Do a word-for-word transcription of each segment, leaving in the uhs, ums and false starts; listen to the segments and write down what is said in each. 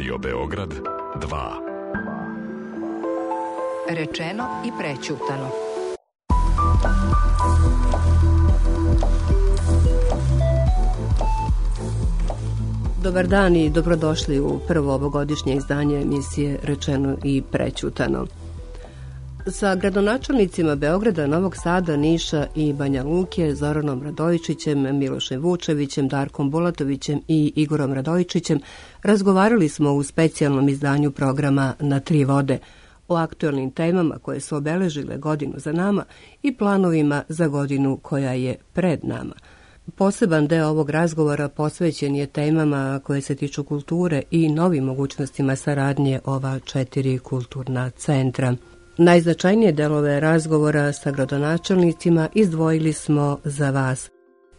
Radio Beograd dva. Rečeno i prećutano. Dobar dan i dobrodošli u prvo ovogodišnje izdanje emisije Rečeno i prećutano. Sa gradonačelnicima Beograda, Novog Sada, Niša i Banja Luke, Zoranom Radojičićem, Milošem Vučevićem, Darkom Bulatovićem i Igorom Radojičićem razgovarali smo u specijalnom izdanju programa Na tri vode o aktuelnim temama koje su obeležile godinu za nama i planovima za godinu koja je pred nama. Poseban deo ovog razgovora posvećen je temama koje se tiču kulture i novim mogućnostima saradnje ova četiri kulturna centra. Najznačajnije delove razgovora sa gradonačelnicima izdvojili smo za vas.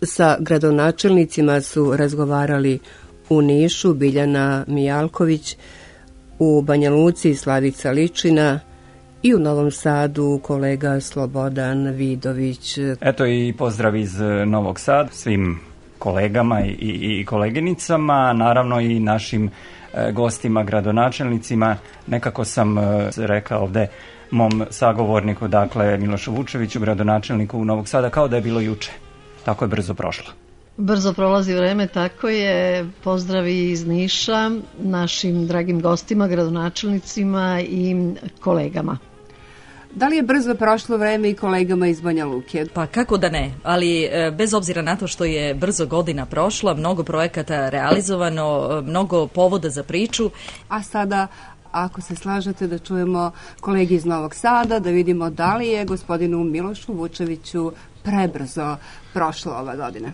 Sa gradonačelnicima su razgovarali u Nišu Biljana Mijalković, u Banja Luci Slavica Ličina i u Novom Sadu kolega Slobodan Vidović. Eto i pozdrav iz Novog Sada svim kolegama i, i, i koleginicama, naravno i našim e, gostima, gradonačelnicima. Nekako sam e, rekao ovde mom sagovorniku, dakle Milošu Vučeviću, gradonačelniku Novog Sada, kao da je bilo juče. Tako je brzo prošlo. Brzo prolazi vreme, tako je. Pozdravi iz Niša našim dragim gostima, gradonačelnicima i kolegama. Da li je brzo prošlo vreme i kolegama iz Banja Luke? Pa kako da ne, ali bez obzira na to što je brzo godina prošla, mnogo projekata realizovano, mnogo povoda za priču. A sada, ako se slažete, da čujemo kolegi iz Novog Sada, da vidimo da li je gospodinu Milošu Vučeviću prebrzo prošla ova godina.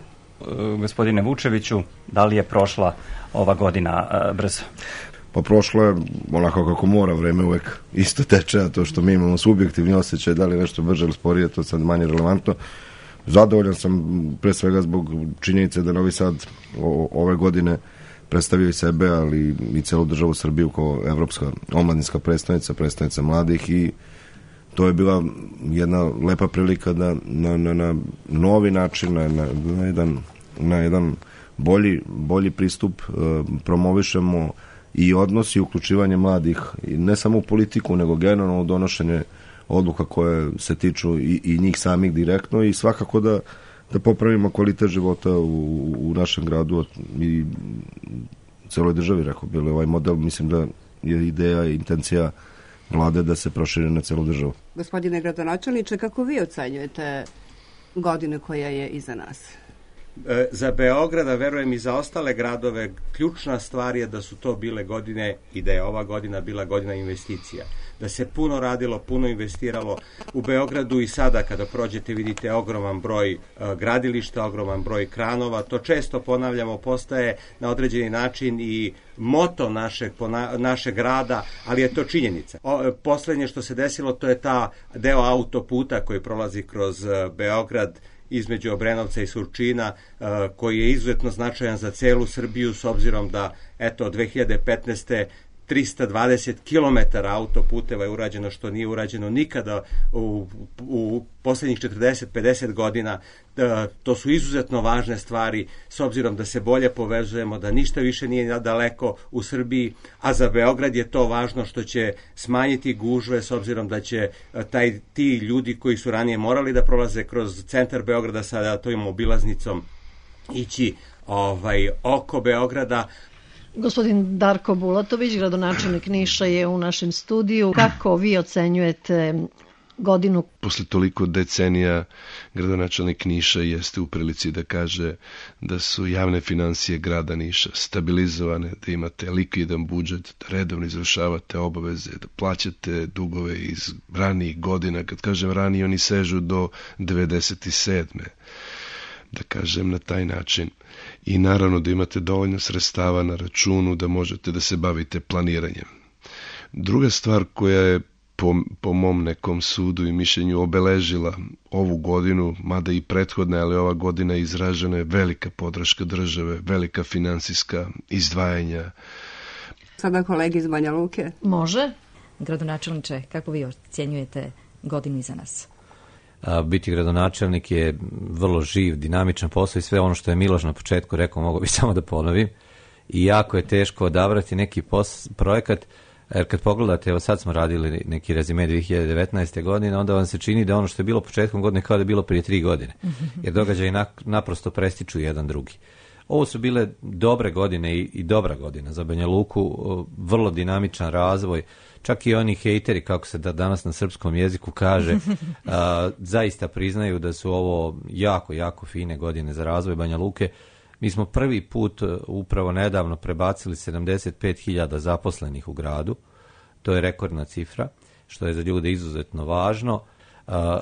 Gospodine Vučeviću, da li je prošla ova godina uh, brzo? Pa prošlo je onako kako mora, vreme uvek isto teče, a to što mi imamo subjektivni osjećaj da li je nešto brže ili sporije, to sad manje relevantno. Zadovoljan sam pre svega zbog činjenice da Novi Sad o, ove godine predstavio i sebe, ali i celu državu Srbiju kao evropska omladinska predstavnica, predstavnica mladih, i to je bila jedna lepa prilika da na, na, na novi način, na, na, na, jedan, na jedan bolji, bolji pristup uh, promovišemo i odnos i uključivanje mladih, i ne samo u politiku, nego generalno u donošenje odluka koje se tiču i, i njih samih direktno, i svakako da, da popravimo kvalitet života u, u našem gradu i celoj državi, rekao bili. Ovaj model, mislim da je ideja i intencija Vlade da se proširi na celu državu. Gospodine gradonačelniče, kako vi ocenjujete godine koja je iza nas? E, za Beograd, a verujem i za ostale gradove, ključna stvar je da su to bile godine i da je ova godina bila godina investicija. Da se puno radilo, puno investiralo u Beogradu, i sada kada prođete vidite ogroman broj uh, gradilišta, ogroman broj kranova. To često ponavljamo, postaje na određeni način i moto našeg, pona, našeg grada, ali je to činjenica. O, poslednje što se desilo, to je ta deo autoputa koji prolazi kroz uh, Beograd između Obrenovca i Surčina, uh, koji je izuzetno značajan za celu Srbiju, s obzirom da, eto, od dve hiljade petnaeste trista dvadeset kilometara autoputeva je urađeno, što nije urađeno nikada u, u poslednjih četrdeset do pedeset godina. E, to su izuzetno važne stvari, s obzirom da se bolje povezujemo, da ništa više nije daleko u Srbiji, a za Beograd je to važno što će smanjiti gužve, s obzirom da će taj, ti ljudi koji su ranije morali da prolaze kroz centar Beograda, sada tojom obilaznicom ići ovaj, oko Beograda. Gospodin Darko Bulatović, gradonačelnik Niša, je u našem studiju. Kako vi ocenjujete godinu? Posle toliko decenija gradonačelnik Niša jeste u prilici da kaže da su javne finansije grada Niša stabilizovane, da imate likvidan budžet, da redovno izvršavate obaveze, da plaćate dugove iz ranijih godina. Kad kažem ranije, oni sežu do devedeset sedme Da kažem na taj način. I naravno da imate dovoljno sredstava na računu da možete da se bavite planiranjem. Druga stvar koja je po, po mom nekom sudu i mišljenju obeležila ovu godinu, mada i prethodna, ali ova godina izražena je velika podrška države, velika finansijska izdvajanja. Sada kolegi iz Banja Luke. Može. Gradonačelniče, kako vi ocjenjujete godinu iza nas? A, biti gradonačelnik je vrlo živ, dinamičan posao i sve ono što je Miloš na početku rekao, mogu bi samo da ponovim. i jako je teško odabrati neki pos, projekat, jer kad pogledate, evo sad smo radili neki rezime dvije hiljade devetnaeste. godine, onda vam se čini da ono što je bilo početkom godine kao da je bilo prije tri godine, jer događaji naprosto prestiču jedan drugi. Ovo su bile dobre godine i, i dobra godina za Banja Luku, vrlo dinamičan razvoj, čak i oni hejteri, kako se da danas na srpskom jeziku kaže, a, zaista priznaju da su ovo jako, jako fine godine za razvoj Banja Luke. Mi smo prvi put upravo nedavno prebacili sedamdeset pet hiljada zaposlenih u gradu, to je rekordna cifra, što je za ljude izuzetno važno.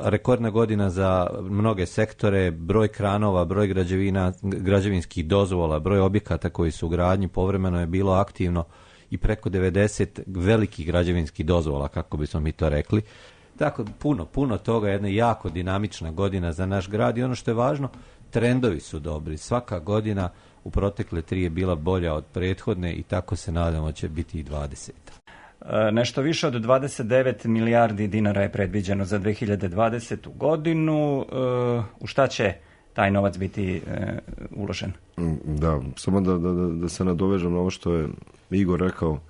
Rekordna godina za mnoge sektore, broj kranova, broj građevina, građevinskih dozvola, broj objekata koji su u gradnji povremeno je bilo aktivno i preko devedeset velikih građevinskih dozvola, kako bismo mi to rekli. Tako, puno, puno toga, jedna jako dinamična godina za naš grad i ono što je važno, trendovi su dobri. Svaka godina u protekle tri je bila bolja od prethodne i tako se nadamo će biti i dvadeseta. Nešto više od dvadeset devet milijardi dinara je predviđeno za dve hiljade dvadesetu. godinu. U šta će taj novac biti uložen? Da, samo da, da, da se nadovežem na ovo što je Igor rekao.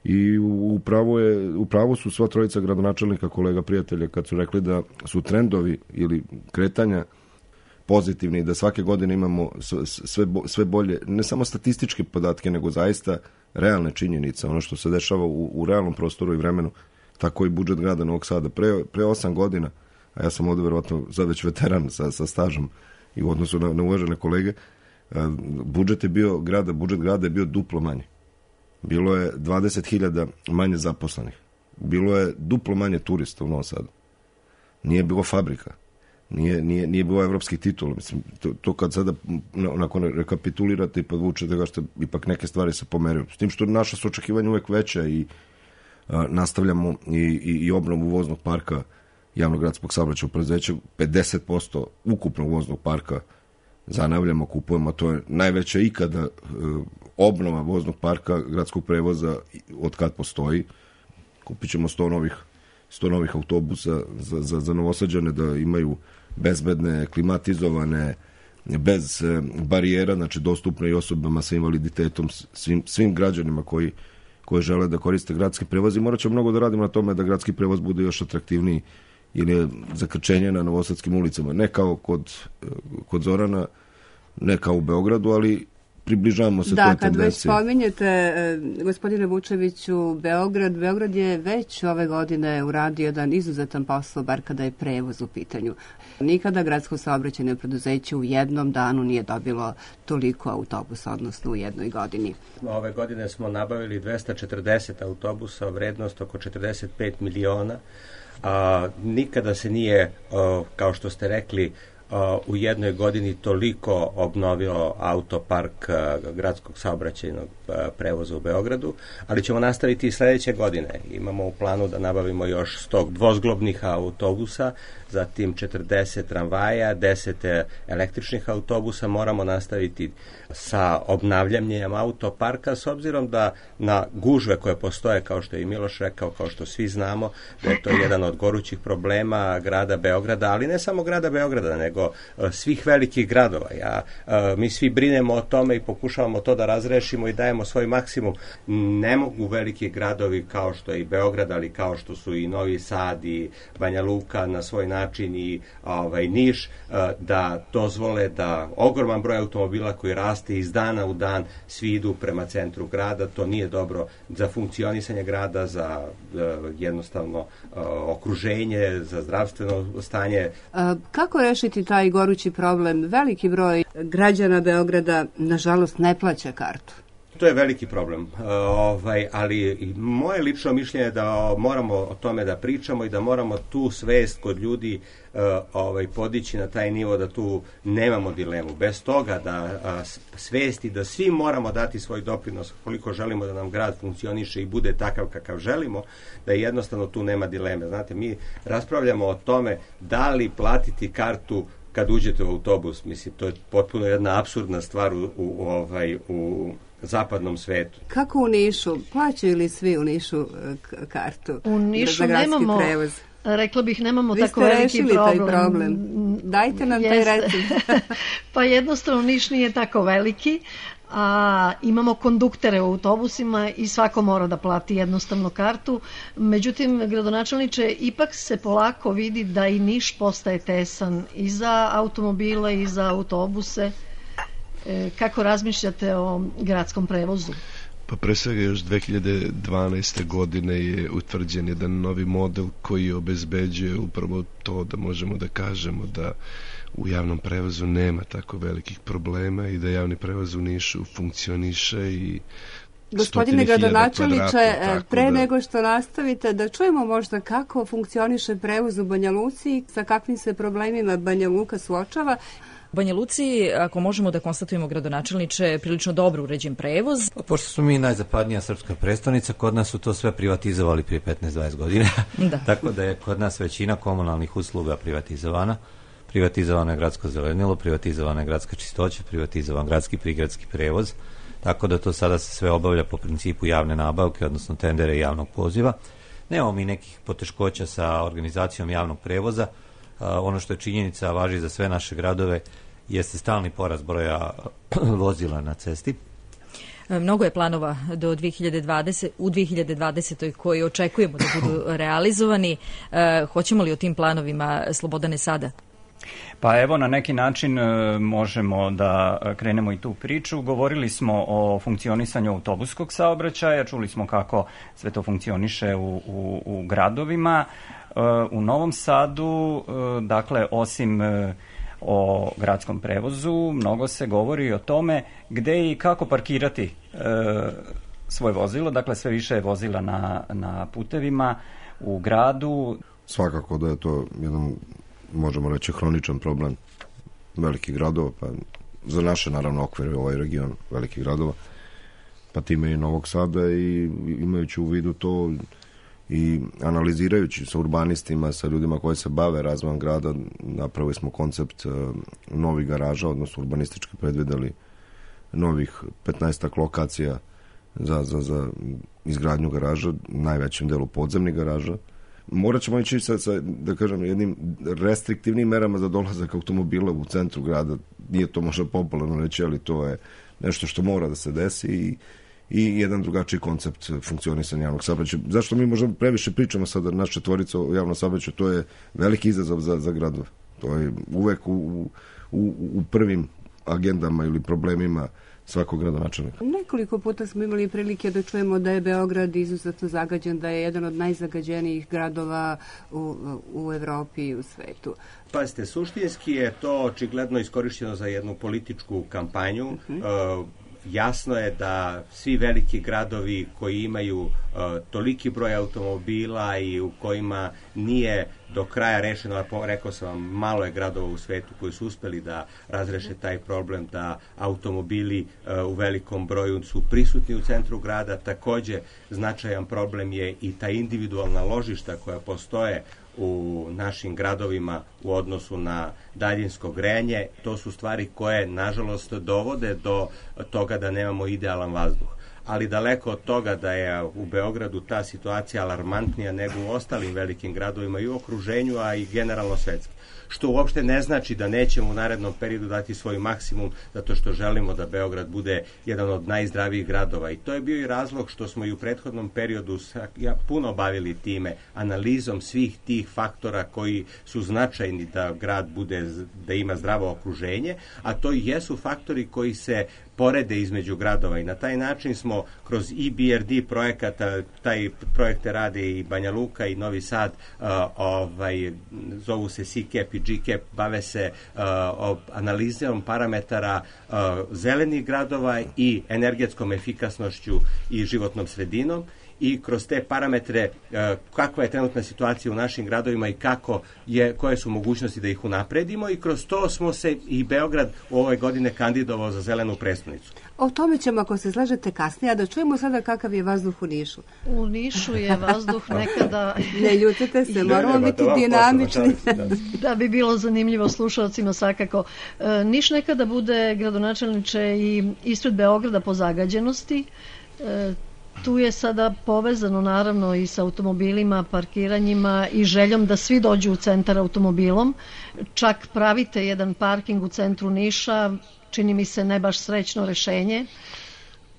I u pravu, je, u pravu su sva trojica gradonačelnika, kolega, prijatelja, kad su rekli da su trendovi ili kretanja pozitivni, da svake godine imamo sve, sve bolje, ne samo statističke podatke, nego zaista realne činjenice, ono što se dešava u, u realnom prostoru i vremenu, tako i budžet grada Novog Sada. Pre, pre osam godina, a ja sam ovdje verovatno sad već veteran sa, sa stažom i u odnosu na, na uvažene kolege, budžet je bio grada, budžet grada je bio duplo manji. Bilo je dvadeset hiljada manje zaposlenih. Bilo je duplo manje turista u Novom Sadu. Nije bilo fabrika. Nije, nije, nije bilo evropskih titula. Mislim, to, to kad sada nakon rekapitulirate i podvučete ga što ipak neke stvari se pomeraju. S tim što naša su očekivanja uvek veća i a, nastavljamo i, i, i obnovu voznog parka javnog gradskog saobraćaja u preduzeću. pedeset posto ukupnog voznog parka zanavljamo, kupujemo. To je najveća ikada e, obnova voznog parka gradskog prevoza od kad postoji. Kupit ćemo sto novih, sto novih autobusa za, za, za Novosađane da imaju bezbedne, klimatizovane, bez e, barijera, znači dostupne i osobama sa invaliditetom, svim, svim građanima koji, koji žele da koriste gradski prevoz. I morat ćemo mnogo da radimo na tome da gradski prevoz bude još atraktivniji ili zakrčenje na novosadskim ulicama. Ne kao kod, kod Zorana, ne kao u Beogradu, ali približavamo se da, toj tendenciji. Da, kad već spominjete, gospodine Vučeviću, Beograd, Beograd je već ove godine uradio jedan izuzetan posao, bar kada je prevoz u pitanju. Nikada gradsko saobraćajno preduzeće u jednom danu nije dobilo toliko autobusa, odnosno u jednoj godini. Ove godine smo nabavili dvesta četrdeset autobusa, vrednost oko četrdeset pet miliona. A, nikada se nije, a, kao što ste rekli, a, u jednoj godini toliko obnovio autopark a, gradskog saobraćajnog a, prevoza u Beogradu, ali ćemo nastaviti i sledeće godine. Imamo u planu da nabavimo još sto dvozglobnih autobusa, zatim četrdeset tramvaja, deset električnih autobusa. Moramo nastaviti sa obnavljanjem autoparka, s obzirom da na gužve koje postoje, kao što je i Miloš rekao, kao što svi znamo, da je to jedan od gorućih problema grada Beograda, ali ne samo grada Beograda, nego uh, svih velikih gradova. Ja, uh, mi svi brinemo o tome i pokušavamo to da razrešimo i dajemo svoj maksimum. Ne mogu veliki gradovi kao što je i Beograd, ali kao što su i Novi Sad i Banja Luka na svoj način i ovaj, Niš, uh, da dozvole da ogroman broj automobila koji raste iz dana u dan svi idu prema centru grada. To nije dobro za funkcionisanje grada, za uh, jednostavno uh, okruženje, za zdravstveno stanje. A, kako rešiti taj gorući problem? Veliki broj građana Beograda, nažalost, ne plaća kartu. To je veliki problem, uh, ovaj, ali moje lično mišljenje je da moramo o tome da pričamo i da moramo tu svest kod ljudi uh, ovaj, podići na taj nivo da tu nemamo dilemu. Bez toga da uh, svesti da svi moramo dati svoj doprinos koliko želimo da nam grad funkcioniše i bude takav kakav želimo, da jednostavno tu nema dileme. Znate, mi raspravljamo o tome da li platiti kartu kad uđete u autobus. Mislim, to je potpuno jedna apsurdna stvar u, u, ovaj, u zapadnom svetu. Kako u Nišu? Plaćaju li svi u Nišu kartu? U Nišu nemamo, prevoz? rekla bih, nemamo tako veliki problem. Taj problem. Dajte nam Jeste. taj recept. Pa jednostavno Niš nije tako veliki, a imamo konduktere u autobusima i svako mora da plati jednostavno kartu. Međutim, gradonačelniče, ipak se polako vidi da i Niš postaje tesan i za automobile i za autobuse. Kako razmišljate o gradskom prevozu? Pa pre svega još dve hiljade dvanaeste. godine je utvrđen jedan novi model koji obezbeđuje upravo to da možemo da kažemo da u javnom prevozu nema tako velikih problema i da javni prevoz u Nišu funkcioniše i Gospodine gradonačelniče, pre da... nego što nastavite, da čujemo možda kako funkcioniše prevoz u Banja Luci, sa kakvim se problemima Banja Luka suočava. U Banja Luci, ako možemo da konstatujemo, gradonačelniče, prilično dobro uređen prevoz. Pošto smo mi najzapadnija srpska prestonica, kod nas su to sve privatizovali prije petnaest do dvadeset godina. Da. Tako da je kod nas većina komunalnih usluga privatizovana. Privatizovano je gradsko zelenilo, privatizovana je gradska čistoća, privatizovan gradski prigradski prevoz. Tako da to sada se sve obavlja po principu javne nabavke, odnosno tendere i javnog poziva. Nemamo mi nekih poteškoća sa organizacijom javnog prevoza. Uh, ono što je činjenica, važi za sve naše gradove, jeste stalni porast broja vozila na cesti. Mnogo je planova do dve hiljade dvadesete. u dve hiljade dvadesetoj koji očekujemo da budu realizovani. Uh, hoćemo li o tim planovima, Slobodane, sada? Pa evo, na neki način možemo da krenemo i tu priču. Govorili smo o funkcionisanju autobuskog saobraćaja, čuli smo kako sve to funkcioniše u, u, u gradovima. U Novom Sadu, dakle, osim o gradskom prevozu, mnogo se govori o tome gde i kako parkirati svoje vozilo. Dakle, sve više je vozila na, na putevima u gradu. Svakako da je to jedan, možemo reći, hroničan problem velikih gradova, pa za naše, naravno, okvire, ovaj region velikih gradova, pa time i Novog Sada, i imajući u vidu to i analizirajući sa urbanistima, sa ljudima koji se bave razvojem grada, napravili smo koncept uh, novih garaža, odnosno urbanistički predvideli novih petnaestak lokacija za, za, za izgradnju garaža, najvećem delu podzemnih garaža. Morat ćemo ići sa, sa, da kažem, jednim restriktivnim merama za dolazak automobila u centru grada. Nije to možda popularno reći, ali to je nešto što mora da se desi i, i jedan drugačiji koncept funkcionisanja javnog saobraćaja. Zašto mi možda previše pričamo sada naš četvorica o javnom saobraćaju, to je veliki izazov za, za gradove. To je uvek u, u, u prvim agendama ili problemima svakog gradonačelnika. Nekoliko puta smo imali prilike da čujemo da je Beograd izuzetno zagađen, da je jedan od najzagađenijih gradova u, u Evropi i u svetu. Pazite, suštinski je to očigledno iskorišćeno za jednu političku kampanju. Uh-huh. Uh, jasno je da svi veliki gradovi koji imaju uh, toliki broj automobila i u kojima nije do kraja rešeno, rekao sam vam, malo je gradova u svetu koji su uspeli da razreše taj problem, da automobili uh, u velikom broju su prisutni u centru grada. Takođe, značajan problem je i ta individualna ložišta koja postoje u našim gradovima u odnosu na daljinsko grejanje. To su stvari koje, nažalost, dovode do toga da nemamo idealan vazduh. Ali daleko od toga da je u Beogradu ta situacija alarmantnija nego u ostalim velikim gradovima i u okruženju, a i generalno svetski. Što uopšte ne znači da nećemo u narednom periodu dati svoj maksimum, zato što želimo da Beograd bude jedan od najzdravijih gradova. I to je bio i razlog što smo i u prethodnom periodu ja, puno bavili time, analizom svih tih faktora koji su značajni da grad bude, da ima zdravo okruženje, a to i jesu faktori koji se porede između gradova i na taj način smo kroz I B R D projekata, taj projekte rade i Banja Luka i Novi Sad, uh, ovaj, zovu se C K E P i G K E P, bave se uh, analizom parametara uh, zelenih gradova i energetskom efikasnošću i životnom sredinom, i kroz te parametre uh, kakva je trenutna situacija u našim gradovima i kako je, koje su mogućnosti da ih unapredimo, i kroz to smo se i Beograd u ovoj godine kandidovao za zelenu prestonicu. O tome ćemo, ako se slažete, kasnije, a da čujemo sada kakav je vazduh u Nišu. U Nišu je vazduh nekada... Ne ljutite se, moramo biti dinamični. Da bi bilo zanimljivo slušalcima svakako. E, Niš nekada bude, gradonačelniče, i ispred Beograda po zagađenosti. E, Tu je sada povezano naravno i sa automobilima, parkiranjima i željom da svi dođu u centar automobilom. Čak pravite jedan parking u centru Niša, čini mi se ne baš srećno rešenje.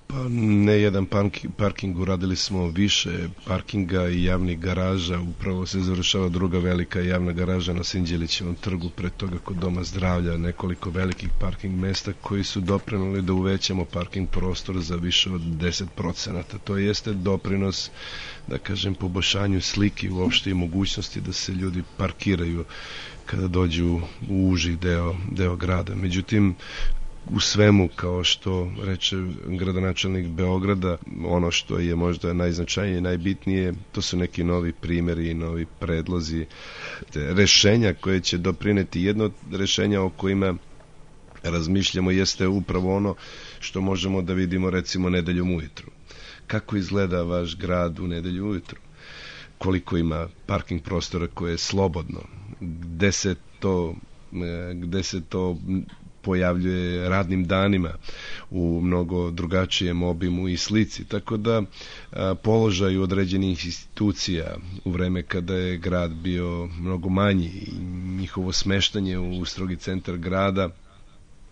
Pa ne jedan parking, uradili smo više parkinga i javnih garaža, upravo se završava druga velika javna garaža na Sinđelićevom trgu, pre toga kod Doma zdravlja, nekoliko velikih parking mesta koji su doprinuli da uvećamo parking prostor za više od deset procenata. To jeste doprinos, da kažem, poboljšanju slike uopšte i mogućnosti da se ljudi parkiraju kada dođu u uži deo, deo grada. Međutim, u svemu, kao što reče gradonačelnik Beograda, ono što je možda najznačajnije i najbitnije, to su neki novi primjeri i novi predlozi, rešenja koje će doprineti. Jedno od rešenja o kojima razmišljamo jeste upravo ono što možemo da vidimo recimo nedeljom ujutru. Kako izgleda vaš grad u nedelju ujutru? Koliko ima parking prostora koje je slobodno? Gde se to, gde se to pojavljuje radnim danima u mnogo drugačijem obimu i slici. Tako da a, položaj određenih institucija u vreme kada je grad bio mnogo manji i njihovo smeštanje u strogi centar grada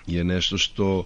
je nešto što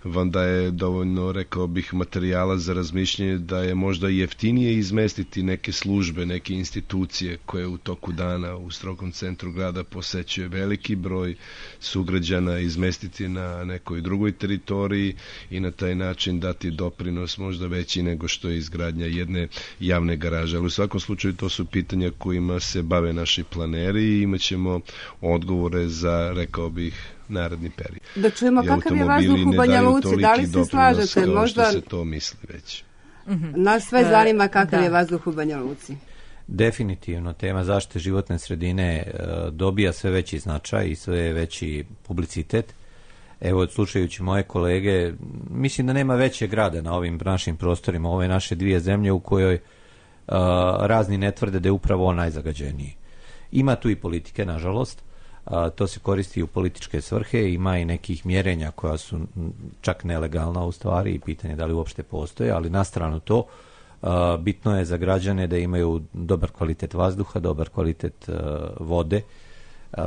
vam daje dovoljno, rekao bih, materijala za razmišljanje da je možda jeftinije izmestiti neke službe, neke institucije koje u toku dana u strogom centru grada posećuje veliki broj sugrađana, izmestiti na nekoj drugoj teritoriji i na taj način dati doprinos možda veći nego što je izgradnja jedne javne garaže. Ali u svakom slučaju to su pitanja kojima se bave naši planeri i imat ćemo odgovore za, rekao bih, naredni period. Da čujemo kakav je vazduh u Banja Luci, da li se slažete? Možda što se to misli već. Nas sve zanima kakav je vazduh u Banja Luci. Definitivno, tema zaštite životne sredine dobija sve veći značaj i sve veći publicitet. Evo, slušajući moje kolege, mislim da nema većeg grada na ovim našim prostorima, ove naše dvije zemlje u kojoj uh, razni ne tvrde da je upravo on najzagađeniji. Ima tu i politike, nažalost, uh, to se koristi u političke svrhe, ima i nekih mjerenja koja su čak nelegalna u stvari i pitanje da li uopšte postoje, ali na stranu to, uh, bitno je za građane da imaju dobar kvalitet vazduha, dobar kvalitet uh, vode, uh,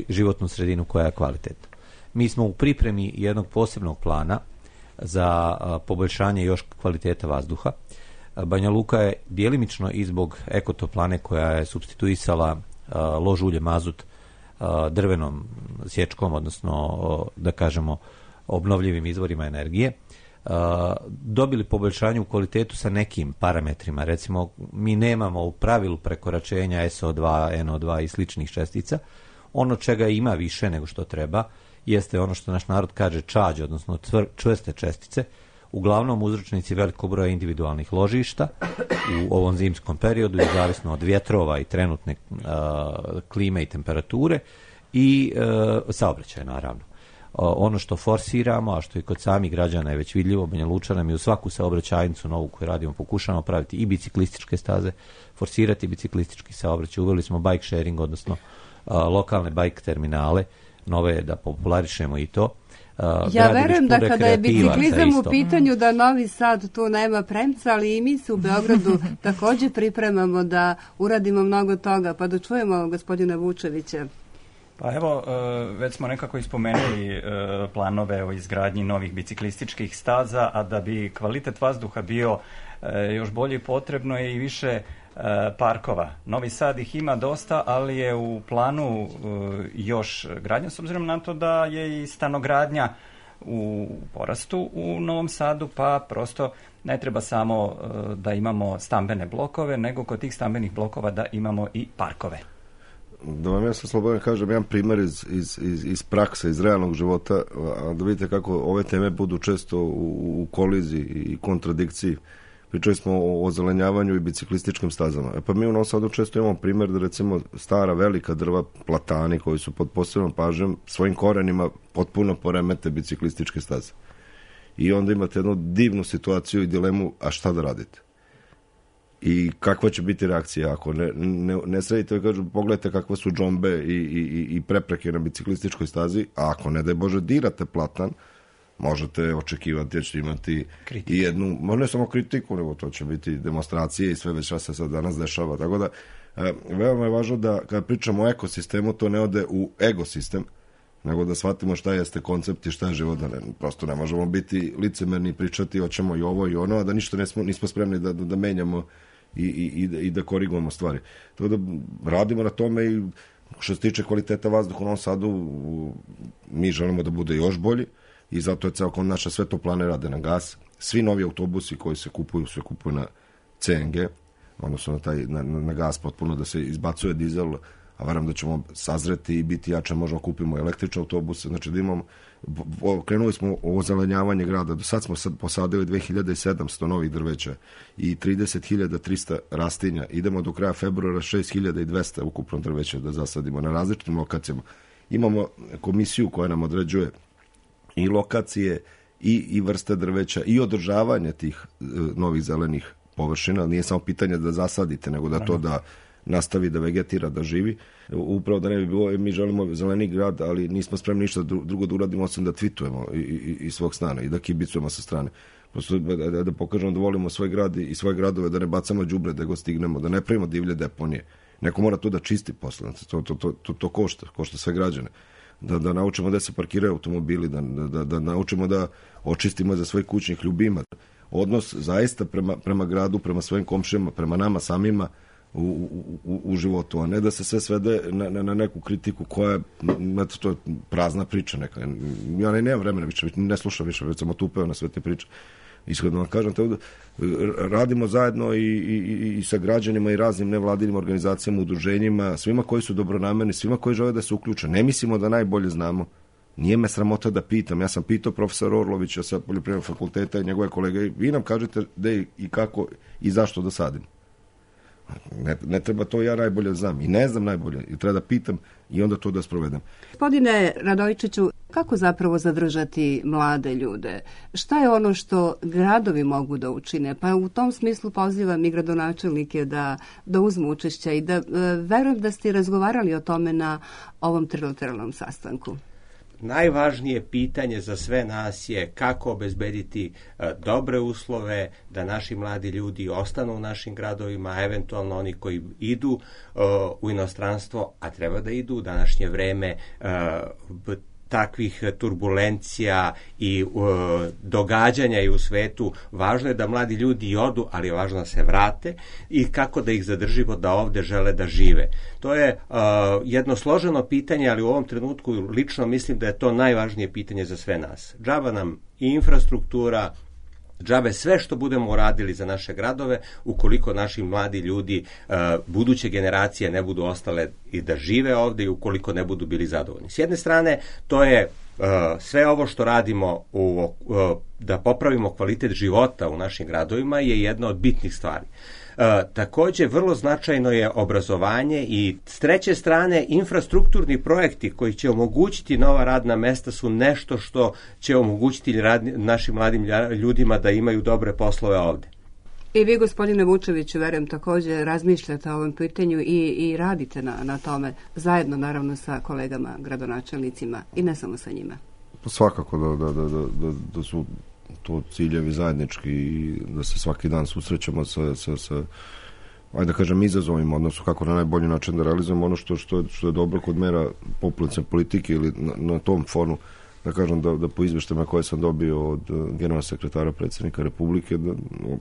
životnu sredinu koja je kvalitetna. Mi smo u pripremi jednog posebnog plana za poboljšanje još kvaliteta vazduha. Banja Luka je djelimično i zbog ekotoplane koja je supstituisala lož ulje mazut drvenom sječkom, odnosno da kažemo obnovljivim izvorima energije, dobili poboljšanje u kvalitetu sa nekim parametrima. Recimo, mi nemamo u pravilu prekoračenja es o dva, en o dva i sličnih čestica. Ono čega ima više nego što treba jeste ono što naš narod kaže čađe, odnosno tvr, čvrste čestice, uglavnom uzročnici velikog broja individualnih ložišta u ovom zimskom periodu, i zavisno od vjetrova i trenutne uh, klime i temperature i uh, saobraćaja, naravno. Uh, ono što forsiramo, a što i kod samih građana je već vidljivo, Banja Lučana, mi u svaku saobraćajnicu novu koju radimo pokušamo praviti i biciklističke staze, forsirati biciklistički saobraćaj, uveli smo bike sharing, odnosno uh, lokalne bike terminale, nove da popularišemo i to. Uh, ja verujem da kada je biciklizam u pitanju da Novi Sad tu nema premca, ali i mi se u Beogradu također pripremamo da uradimo mnogo toga, pa da čujemo gospodina Vučevića. Pa evo, već smo nekako ispomenuli planove o izgradnji novih biciklističkih staza, a da bi kvalitet vazduha bio još bolje, potrebno je i više parkova. Novi Sad ih ima dosta, ali je u planu još gradnja, s obzirom na to da je i stanogradnja u porastu u Novom Sadu, pa prosto ne treba samo da imamo stambene blokove, nego kod tih stambenih blokova da imamo i parkove. Da vam ja sam slobodan kažem jedan primjer iz, iz, iz, iz prakse, iz realnog života, da vidite kako ove teme budu često u, u koliziji i kontradikciji. Pričali smo o ozelenjavanju i biciklističkim stazama. E pa mi u Novom Sadu često imamo primjer da recimo stara velika drva, platani koji su pod posebnom pažnjom svojim korenima potpuno poremete biciklističke staze. I onda imate jednu divnu situaciju i dilemu, a šta da radite? I kakva će biti reakcija ako ne, ne, ne sredite i kažu pogledajte kakve su džombe i, i, i prepreke na biciklističkoj stazi, a ako ne daj Bože dirate platan, možete očekivati da ćete imati kritiku. I jednu, ne samo kritiku, nego to će biti demonstracije i sve već šta se sad danas dešava. Tako da, e, veoma je važno da kada pričamo o ekosistemu, to ne ode u egosistem, nego da shvatimo šta jeste koncept i šta je život, da ne, prosto ne možemo biti licemerni i pričati hoćemo i ovo i ono, a da ništa nismo, nismo spremni da, da, da menjamo i, i, i da korigujemo stvari. Tako da radimo na tome i što se tiče kvaliteta vazduha u Novom Sadu, mi želimo da bude još bolji i zato je ceo naša sve to plane rade na gas. Svi novi autobusi koji se kupuju, se kupuju na C N G, odnosno na, taj, na, na gas potpuno, da se izbacuje dizel, a verujem da ćemo sazreti i biti jače, možemo kupimo električne autobuse, znači da imamo, krenuli smo o zelenjavanje grada, do sad smo sad posadili dve hiljade sedamsto novih drveća i trideset hiljada trista rastinja, idemo do kraja februara šest hiljada dvesta ukupno drveća da zasadimo na različitim lokacijama. Imamo komisiju koja nam određuje i lokacije i, i vrste drveća i održavanje tih e, novih zelenih površina, nije samo pitanje da zasadite, nego da to da nastavi da vegetira, da živi. Upravo da ne bi bilo, mi želimo zeleni grad, ali nismo spremni ništa drugo da uradimo, osim da tvitujemo iz svog stana i da kibicujemo sa strane. Prosto da, da pokažemo da volimo svoj grad i svoje gradove, da ne bacamo đubre, da go stignemo, da ne pravimo divlje deponije. Neko mora to da čisti posle, to, to, to, to, to košta, košta sve građane. Da, da naučimo da se parkiraju automobili, da, da, da naučimo da očistimo za svojih kućnih ljubima. Odnos zaista prema, prema gradu, prema svojim komšijama, prema nama samima, U, u, u životu, a ne da se sve svede na, na, na neku kritiku koja je, to je prazna priča neka. Ja ne nemam vremena više, ne slušam više, već sam otupeo na sve te priče. Ishodno vam kažem, tako da radimo zajedno i, i, i sa građanima i raznim nevladinim organizacijama, udruženjima, svima koji su dobronamerni, svima koji žele da se uključe. Ne mislimo da najbolje znamo. Nije me sramota da pitam. Ja sam pitao profesora Orlovića sa Poljoprivrednog fakulteta i njegove kolege, vi nam kažete gde i kako i zašto da sadimo. Ne, ne treba to ja najbolje znam i ne znam najbolje i treba da pitam i onda to da sprovedem. Gospodine Radojičiću, kako zapravo zadržati mlade ljude? Šta je ono što gradovi mogu da učine? Pa u tom smislu pozivam i gradonačelnike da, da uzmu učešća i da e, verujem da ste razgovarali o tome na ovom trilateralnom sastanku. Najvažnije pitanje za sve nas je kako obezbediti uh, dobre uslove da naši mladi ljudi ostanu u našim gradovima, a eventualno oni koji idu uh, u inostranstvo, a treba da idu u današnje vreme uh, takvih turbulencija i uh, događanja i u svetu, važno je da mladi ljudi odu, ali je važno da se vrate i kako da ih zadržimo da ovde žele da žive. To je uh, jedno složeno pitanje, ali u ovom trenutku lično mislim da je to najvažnije pitanje za sve nas. Džaba nam i infrastruktura, džabe sve što budemo uradili za naše gradove, ukoliko naši mladi ljudi, uh, buduće generacije ne budu ostale i da žive ovde i ukoliko ne budu bili zadovoljni. S jedne strane, to je uh, sve ovo što radimo u, uh, da popravimo kvalitet života u našim gradovima je jedna od bitnih stvari. Uh, takođe, vrlo značajno je obrazovanje i s treće strane infrastrukturni projekti koji će omogućiti nova radna mesta su nešto što će omogućiti radni, našim mladim ljudima da imaju dobre poslove ovde. I vi, gospodine Vučeviću, verujem takođe razmišljate o ovom pitanju i, i radite na, na tome, zajedno naravno sa kolegama gradonačelnicima i ne samo sa njima. Svakako da, da, da, da, da su to ciljevi zajednički i da se svaki dan susrećemo sa, sa, sa ajde da kažem, izazovima, odnosno kako na najbolji način da realizujemo ono što, što, je, što je dobro kod mera populacione politike ili na, na tom fonu, da kažem da, da po izveštajima koje sam dobio od generalnog sekretara predsjednika Republike, da,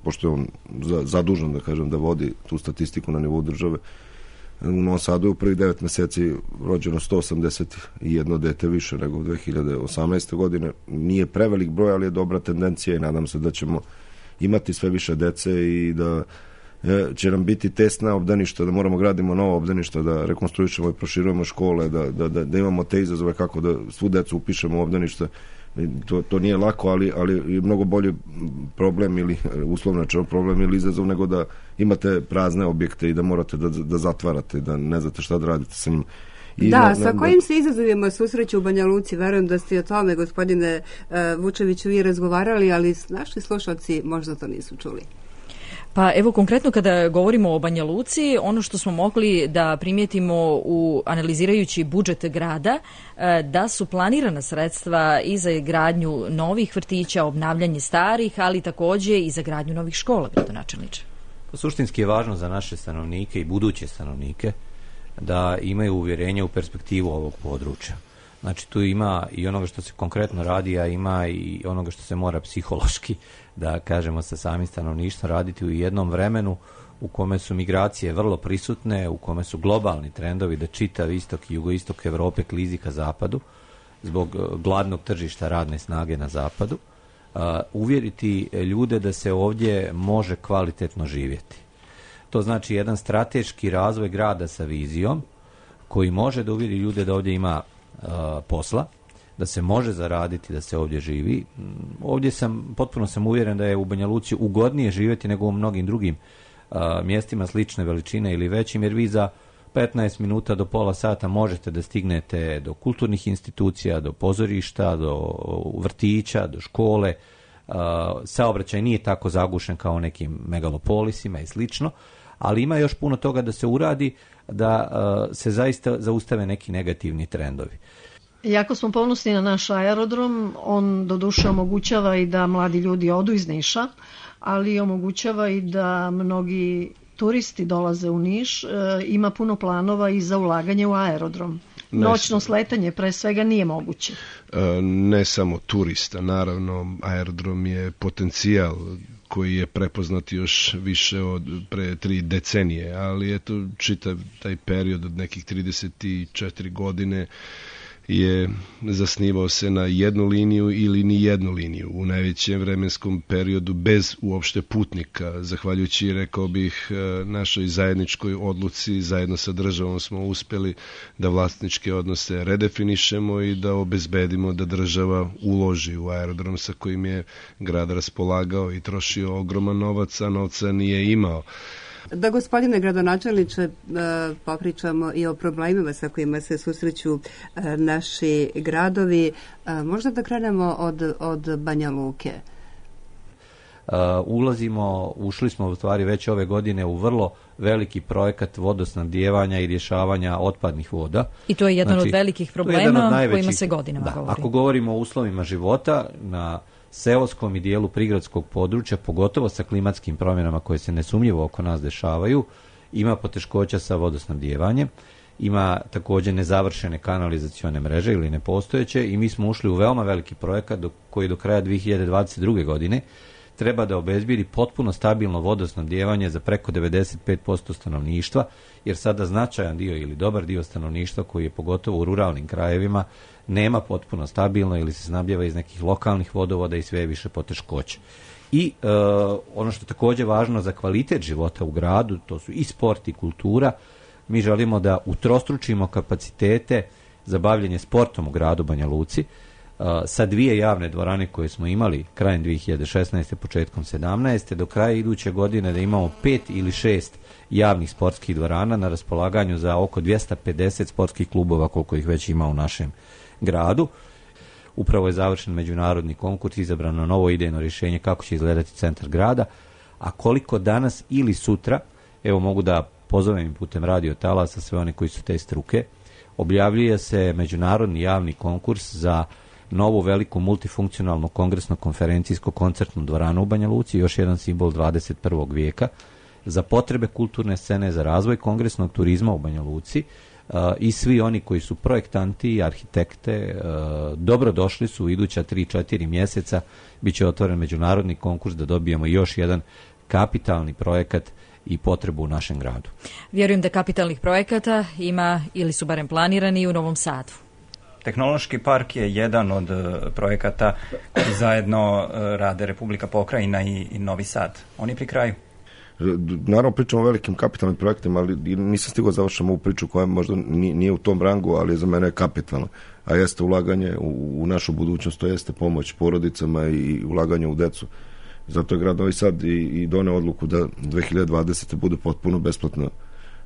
pošto je on za, zadužen, da kažem, da vodi tu statistiku na nivou države, u Novom Sadu je u prvih devet meseci rođeno sto osamdeset jedno dete više nego u dve hiljade osamnaeste. godine. Nije prevelik broj, ali je dobra tendencija i nadam se da ćemo imati sve više dece i da će nam biti tesna obdaništa, da moramo gradimo nova obdaništa, da rekonstruišemo i proširujemo škole, da, da, da, da imamo te izazove kako da svu decu upišemo u obdaništa. To, to nije lako, ali, ali je mnogo bolji problem ili uslovno rečeno problem ili izazov nego da imate prazne objekte i da morate da, da zatvarate, da ne znate šta da radite sa njima. I da, na, sa na, kojim se izazovima susreću u Banja Luci? Verujem da ste o tome, gospodine uh, Vučeviću, vi razgovarali, ali naši slušalci možda to nisu čuli. Pa evo konkretno kada govorimo o Banja Luci, ono što smo mogli da primijetimo u analizirajući budžet grada, da su planirana sredstva i za gradnju novih vrtića, obnavljanje starih, ali takođe i za gradnju novih škola, gradonačelniče. Suštinski je važno za naše stanovnike i buduće stanovnike da imaju uvjerenje u perspektivu ovog područja. Znači tu ima i onoga što se konkretno radi, a ima i onoga što se mora psihološki, da kažemo, sa samim stanovništvom raditi u jednom vremenu u kome su migracije vrlo prisutne, u kome su globalni trendovi da čitav istok i jugoistok Evrope klizi ka zapadu zbog gladnog tržišta radne snage na zapadu, uh, uvjeriti ljude da se ovdje može kvalitetno živjeti. To znači jedan strateški razvoj grada sa vizijom koji može da uvjeri ljude da ovdje ima uh, posla, da se može zaraditi, da se ovdje živi. Ovdje sam, potpuno sam uvjeren da je u Banja Luci ugodnije živjeti nego u mnogim drugim uh, mjestima slične veličine ili većim, jer vi za petnaest minuta do pola sata možete da stignete do kulturnih institucija, do pozorišta, do vrtića, do škole. Uh, saobraćaj nije tako zagušen kao u nekim megalopolisima i slično, ali ima još puno toga da se uradi da uh, se zaista zaustave neki negativni trendovi. Jako smo ponosni na naš aerodrom, on doduše omogućava i da mladi ljudi odu iz Niša, ali omogućava i da mnogi turisti dolaze u Niš, e, ima puno planova i za ulaganje u aerodrom. Noćno sletanje pre svega nije moguće. E, ne samo turista, naravno, aerodrom je potencijal koji je prepoznat još više od pre tri decenije, ali eto čitav taj period od nekih trideset četiri godine je zasnivao se na jednu liniju ili ni jednu liniju u najvećem vremenskom periodu bez uopšte putnika. Zahvaljujući, rekao bih, našoj zajedničkoj odluci, zajedno sa državom smo uspjeli da vlasničke odnose redefinišemo i da obezbedimo da država uloži u aerodrom sa kojim je grad raspolagao i trošio ogroman novac, a novca nije imao. Da, gospodine gradonačelniče, popričamo i o problemima sa kojima se susreću naši gradovi. Možda da krenemo od, od Banja Luke. Uh, ulazimo, ušli smo u stvari već ove godine u vrlo veliki projekat vodosnabdijevanja i rješavanja otpadnih voda. I to je jedan znači, od velikih problema od najvećih, kojima se godinama da, govori. Ako govorimo o uslovima života na seoskom i dijelu prigradskog područja, pogotovo sa klimatskim promjenama koje se nesumnjivo oko nas dešavaju, ima poteškoća sa vodosnabdijevanjem, ima također nezavršene kanalizacione mreže ili nepostojeće i mi smo ušli u veoma veliki projekat do, koji do kraja dvije hiljade dvadeset druge. godine treba da obezbedi potpuno stabilno vodosnabdijevanje za preko devedeset pet posto stanovništva, jer sada značajan dio ili dobar dio stanovništva koji je pogotovo u ruralnim krajevima nema potpuno stabilno ili se snabdijeva iz nekih lokalnih vodovoda i sve više poteškoća. I e, ono što je također važno za kvalitet života u gradu, to su i sport i kultura. Mi želimo da utrostručimo kapacitete za bavljenje sportom u gradu Banja Luci, Uh, sa dvije javne dvorane koje smo imali krajem dvije hiljade šesnaeste. početkom sedamnaeste. do kraja iduće godine da imamo pet ili šest javnih sportskih dvorana na raspolaganju za oko dvjesto pedeset sportskih klubova koliko ih već ima u našem gradu. Upravo je završen međunarodni konkurs, izabrano novo idejno rješenje kako će izgledati centar grada, a koliko danas ili sutra, evo mogu da pozovem putem radio talasa sve one koji su te struke, objavljuje se međunarodni javni konkurs za novu veliku multifunkcionalnu kongresno-konferencijsko-koncertnu dvoranu u Banja Luci, još jedan simbol dvadeset prvog vijeka, za potrebe kulturne scene, za razvoj kongresnog turizma u Banja Luci, uh, i svi oni koji su projektanti, arhitekte, uh, dobrodošli su u iduća tri četiri mjeseca, bit će otvoren međunarodni konkurs da dobijemo još jedan kapitalni projekat i potrebu u našem gradu. Vjerujem da kapitalnih projekata ima ili su barem planirani u Novom Sadu. Tehnološki park je jedan od projekata koji zajedno rade Republika Pokrajina i, i Novi Sad. Oni pri kraju. Naravno pričamo o velikim kapitalnim projektima, ali nisam stigao završiti ovu priču koja možda nije u tom rangu, ali za mene je kapitalna. A jeste ulaganje u, u našu budućnost, to jeste pomoć porodicama i ulaganje u decu. Zato je grad Novi Sad i, i doneo odluku da dvije hiljade dvadesete. bude potpuno besplatno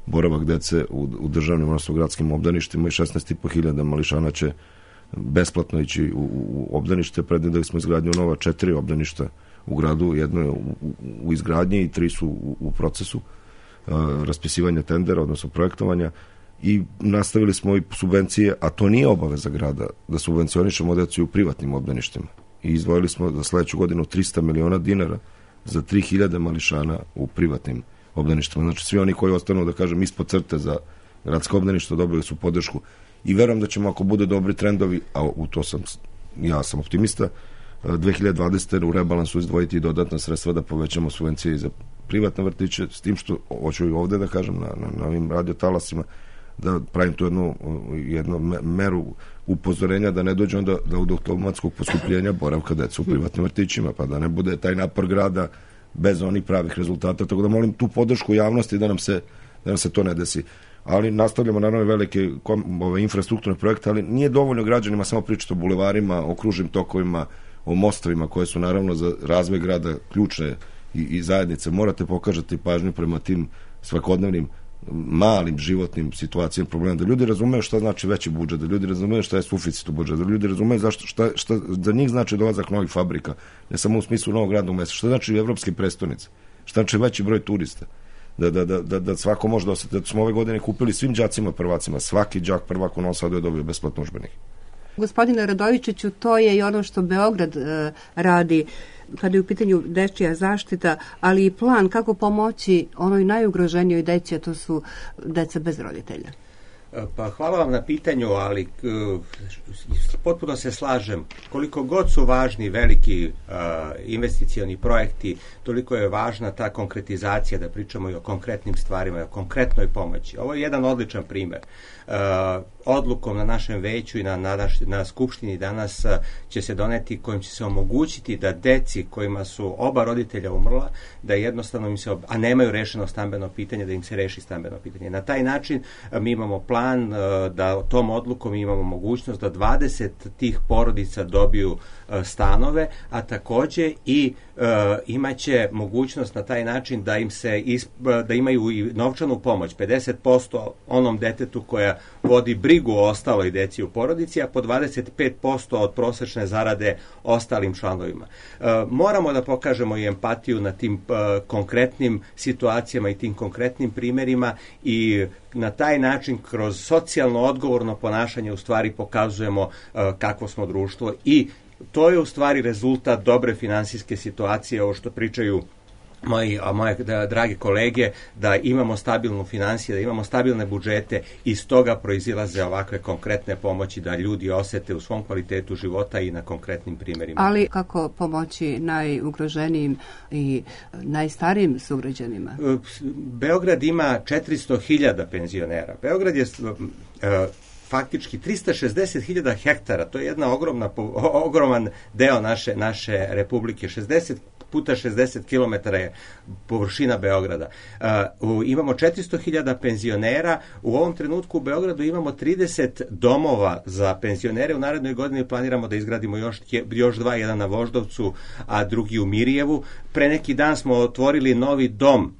boravak dece u, u državnim, odnosno gradskim obdaništima i šesnaest i po hiljada mališana će besplatno ići u, u obdanište. Predvideli smo izgradnju nova četiri obdaništa u gradu, jedno je u, u izgradnji i tri su u, u procesu uh, raspisivanja tendera, odnosno projektovanja, i nastavili smo i subvencije, a to nije obaveza grada, da subvencionišemo decu u privatnim obdaništima. I izdvojili smo za sledeću godinu trista miliona dinara za tri hiljade mališana u privatnim obdaništima. Znači svi oni koji ostanu, da kažem, ispod crte za gradska obdaništa dobili su podršku i verujem da ćemo, ako bude dobri trendovi, a u to sam, ja sam optimista, dve hiljade dvadesete. u rebalansu izdvojiti dodatna sredstva da povećamo subvencije za privatne vrtiće, s tim što, hoću i ovde da kažem, na, na, na ovim radiotalasima, da pravim tu jednu, jednu meru upozorenja da ne dođe onda da od automatskog poskupljenja boravka deca u privatnim vrtićima, pa da ne bude taj napor grada bez onih pravih rezultata, tako da molim tu podršku javnosti da nam se, da nam se to ne desi. Ali nastavljamo naravno velike ove infrastrukturne projekte, ali nije dovoljno građanima samo pričati o bulevarima, o kružnim tokovima, o mostovima koje su naravno za razvoj grada ključne i, i zajednice. Morate pokažati pažnju prema tim svakodnevnim malim životnim situacijama, problema, da ljudi razumeju šta znači veći budžet, da ljudi razumeju šta je suficit u budžetu, da ljudi razumeju zašto, šta, šta za njih znači dolazak novih fabrika, ne samo u smislu novog radnog mesta, šta znači evropske prestonice, šta znači veći broj turista, da, da, da, da, da svako može da osjeti, da smo ove godine kupili svim đacima prvacima, svaki đak prvak u Novom Sadu je dobio besplatno udžbenik. Gospodine Radojičiću, to je i ono što Beograd e, radi kada je u pitanju dečija zaštita, ali i plan kako pomoći onoj najugroženijoj deci, a to su deca bez roditelja. Pa hvala vam na pitanju, ali uh, potpuno se slažem. Koliko god su važni veliki uh, investicioni projekti, toliko je važna ta konkretizacija, da pričamo i o konkretnim stvarima, i o konkretnoj pomoći. Ovo je jedan odličan primer. Uh, odlukom na našem veću i na, na, na skupštini danas uh, će se doneti, kojim će se omogućiti da deci kojima su oba roditelja umrla, da jednostavno im se, ob... a nemaju rešeno stambeno pitanje, da im se reši stambeno pitanje. Na taj način uh, mi imamo plan uh, da tom odlukom imamo mogućnost da dvadeset tih porodica dobiju uh, stanove, a takođe i uh, imaće mogućnost na taj način da im se isp... da imaju i novčanu pomoć, pedeset posto onom detetu koja vodi brigu o ostaloj deci u porodici, a po dvadeset pet posto od prosečne zarade ostalim članovima. E, moramo da pokažemo i empatiju na tim e, konkretnim situacijama i tim konkretnim primerima i na taj način kroz socijalno odgovorno ponašanje u stvari pokazujemo e, kakvo smo društvo i to je u stvari rezultat dobre finansijske situacije, ovo što pričaju moji, a moje da, drage kolege, da imamo stabilnu finansiju, da imamo stabilne budžete i iz toga proizilaze ovakve konkretne pomoći da ljudi osete u svom kvalitetu života i na konkretnim primjerima. Ali kako pomoći najugroženijim i najstarijim sugrađanima? Beograd ima četiristo hiljada penzionera. Beograd je uh, faktički trista šezdeset hiljada hektara, to je jedna ogromna, ogroman deo naše, naše republike, šezdeset puta šezdeset kilometara je površina Beograda. Uh, imamo četiristo hiljada penzionera, u ovom trenutku u Beogradu imamo trideset domova za penzionere, u narednoj godini planiramo da izgradimo još, još dva, jedan na Voždovcu, a drugi u Mirjevu. Pre neki dan smo otvorili novi dom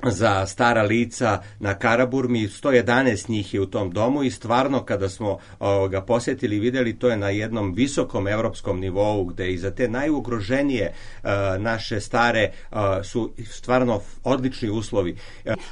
za stara lica na Karaburmi, sto jedanaest njih je u tom domu i stvarno kada smo o, ga posjetili i vidjeli, to je na jednom visokom evropskom nivou gde i za te najugroženije a, naše stare a, su stvarno odlični uslovi.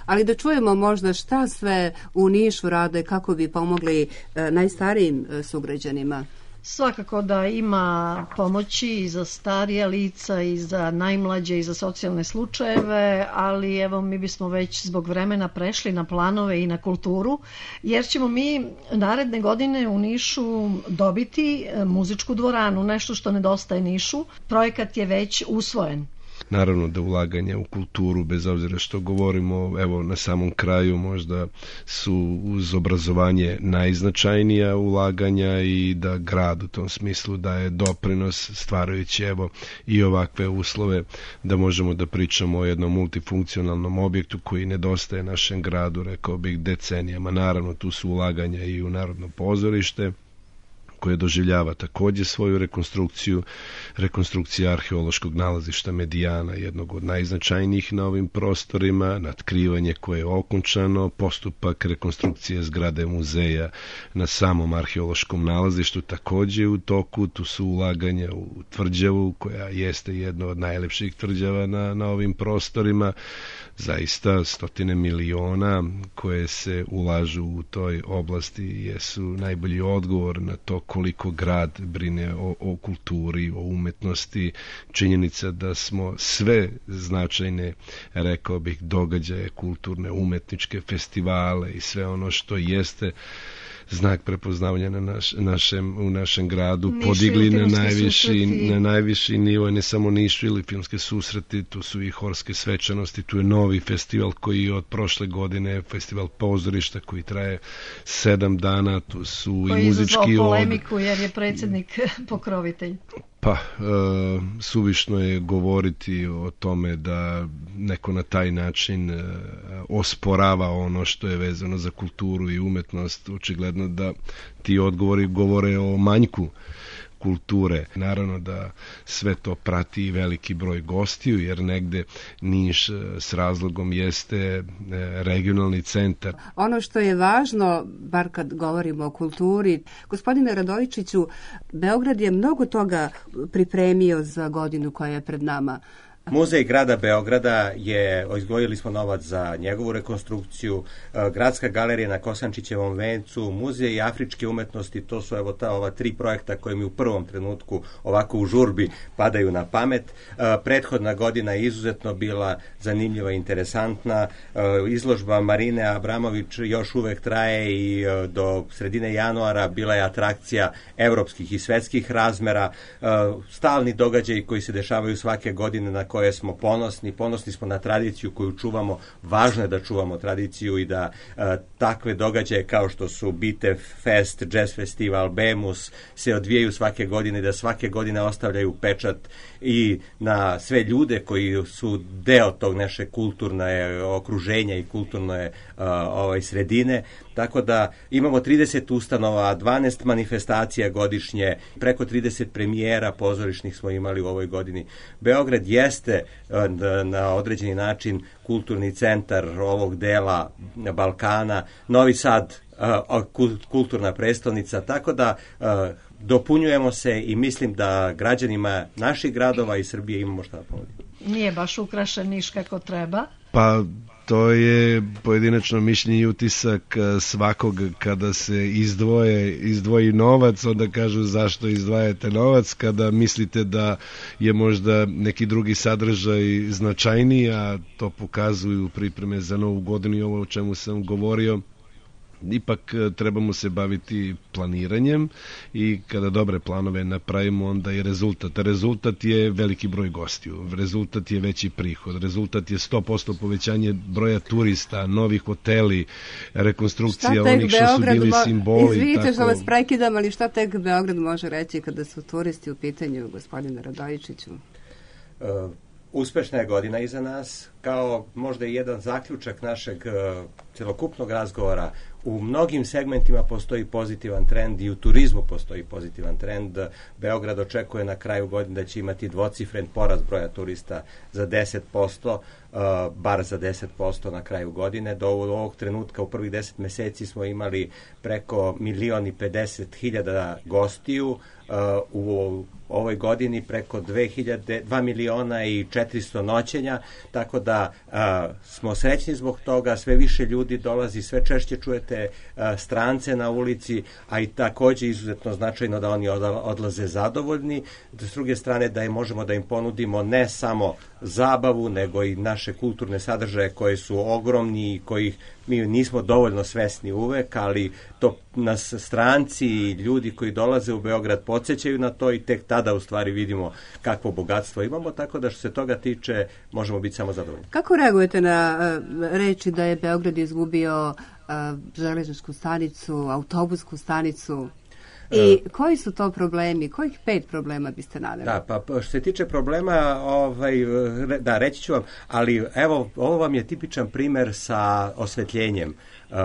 Ali da čujemo možda šta sve u Nišu rade kako bi pomogli a, najstarijim a, sugrađanima. Svakako da ima pomoći i za starija lica i za najmlađe i za socijalne slučajeve, ali evo mi bismo već zbog vremena prešli na planove i na kulturu, jer ćemo mi naredne godine u Nišu dobiti muzičku dvoranu, nešto što nedostaje Nišu. Projekat je već usvojen. Naravno da ulaganja u kulturu, bez obzira što govorimo, evo na samom kraju možda su uz obrazovanje najznačajnija ulaganja i da grad u tom smislu daje doprinos stvarajući evo i ovakve uslove da možemo da pričamo o jednom multifunkcionalnom objektu koji nedostaje našem gradu, rekao bih decenijama. Naravno tu su ulaganja i u Narodno pozorište koje doživljava takođe svoju rekonstrukciju, rekonstrukcija arheološkog nalazišta Medijana, jednog od najznačajnijih na ovim prostorima, natkrivanje koje je okončano, postupak rekonstrukcije zgrade muzeja na samom arheološkom nalazištu takođe u toku, tu su ulaganja u tvrđavu, koja jeste jedno od najlepših tvrđava na, na ovim prostorima, zaista stotine miliona koje se ulažu u toj oblasti jesu najbolji odgovor na to koliko grad brine o, o kulturi, o umetnosti, činjenica da smo sve značajne, rekao bih, događaje, kulturne, umetničke festivale i sve ono što jeste znak prepoznavanja na naš, našem, u našem gradu Nišu podigli na najviši, na najviši nivo, ne samo Nišu ili filmske susreti, tu su i horske svečanosti, tu je novi festival koji je od prošle godine, festival pozorišta koji traje sedam dana, tu su koji i muzički koji je izazvao polemiku jer je predsjednik pokrovitelj. Pa, e, suvišno je govoriti o tome da neko na taj način e, osporava ono što je vezano za kulturu i umetnost. Očigledno da ti odgovori govore o manjku kulture. Naravno da sve to prati i veliki broj gostiju, jer negde Niš s razlogom jeste regionalni centar. Ono što je važno, bar kad govorimo o kulturi, gospodine Radojičiću, Beograd je mnogo toga pripremio za godinu koja je pred nama. Muzej grada Beograda je, izdvojili smo novac za njegovu rekonstrukciju, Gradska galerija na Kosančićevom vencu, Muzej afričke umetnosti, to su evo ta ova tri projekta koje mi u prvom trenutku ovako u žurbi padaju na pamet. Prethodna godina je izuzetno bila zanimljiva i interesantna. Izložba Marine Abramović još uvek traje i do sredine januara bila je atrakcija evropskih i svetskih razmera. Stalni događaji koji se dešavaju svake godine na koje smo ponosni, ponosni smo na tradiciju koju čuvamo, važno je da čuvamo tradiciju i da uh, takve događaje kao što su Bitev Fest, Jazz Festival, Bemus se odvijaju svake godine i da svake godine ostavljaju pečat i na sve ljude koji su deo tog naše kulturne okruženja i kulturne uh, ovaj, sredine. Tako da imamo trideset ustanova, dvanaest manifestacija godišnje, preko trideset premijera pozorišnih smo imali u ovoj godini. Beograd jeste na određeni način kulturni centar ovog dela Balkana, Novi Sad kulturna prestolnica, tako da dopunjujemo se i mislim da građanima naših gradova i Srbije imamo šta da ponudimo. Nije baš ukrašen Niš kako treba. Pa to je pojedinačno mišljenje i utisak svakog kada se izdvoje, izdvoji novac, onda kažu zašto izdvajate novac, kada mislite da je možda neki drugi sadržaj značajniji, a to pokazuju pripreme za novu godinu i ovo o čemu sam govorio. Ipak trebamo se baviti planiranjem i kada dobre planove napravimo, onda i rezultat. Rezultat je veliki broj gostiju, rezultat je veći prihod, rezultat je sto posto povećanje broja turista, novi hoteli, rekonstrukcija onih što su bili simboli. Izvidite tako... što vas prekidam, ali šta tek Beograd može reći kada su turisti u pitanju, gospodine Radojičiću? Uh, Uspešna je godina iza nas, kao možda i jedan zaključak našeg uh, celokupnog razgovora. U mnogim segmentima postoji pozitivan trend i u turizmu postoji pozitivan trend. Beograd očekuje na kraju godine da će imati dvocifren porast broja turista za deset posto, uh, bar za deset posto na kraju godine. Do ovog trenutka u prvih deset meseci smo imali preko milion i pedeset hiljada gostiju, uh, u ovoj godini preko dva miliona i četiristo noćenja, tako da a, smo srećni zbog toga, sve više ljudi dolazi, sve češće čujete a, strance na ulici, a i takođe izuzetno značajno da oni odlaze zadovoljni. S druge strane da im možemo da im ponudimo ne samo zabavu, nego i naše kulturne sadržaje koje su ogromni i kojih mi nismo dovoljno svesni uvek, ali to nas stranci i ljudi koji dolaze u Beograd podsjećaju na to i tek tada u stvari vidimo kakvo bogatstvo imamo, tako da što se toga tiče možemo biti samo zadovoljni. Kako reagujete na uh, reči da je Beograd izgubio uh, železničku stanicu, autobusku stanicu? I koji su to problemi? Kojih pet problema biste naveli? Da, pa što se tiče problema, ovaj, da, reći ću vam, ali evo, ovo vam je tipičan primer sa osvetljenjem, uh, uh,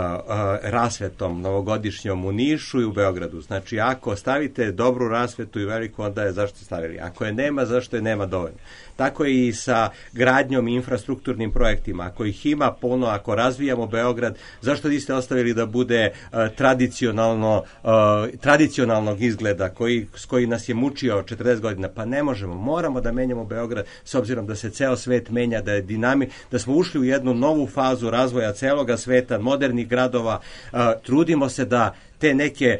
rasvetom novogodišnjom u Nišu i u Beogradu. Znači, ako stavite dobru rasvetu i veliku, onda je zašto stavili. Ako je nema, zašto je nema dovoljno. Tako je i sa gradnjom i infrastrukturnim projektima. Ako ih ima puno, ako razvijamo Beograd, zašto niste ostavili da bude uh, tradicionalno, uh, tradicionalnog izgleda koji, s koji nas je mučio četrdeset godina? Pa ne možemo. Moramo da menjamo Beograd s obzirom da se ceo svet menja, da je dinamik, da smo ušli u jednu novu fazu razvoja celoga sveta, moderni modernih gradova, trudimo se da te neke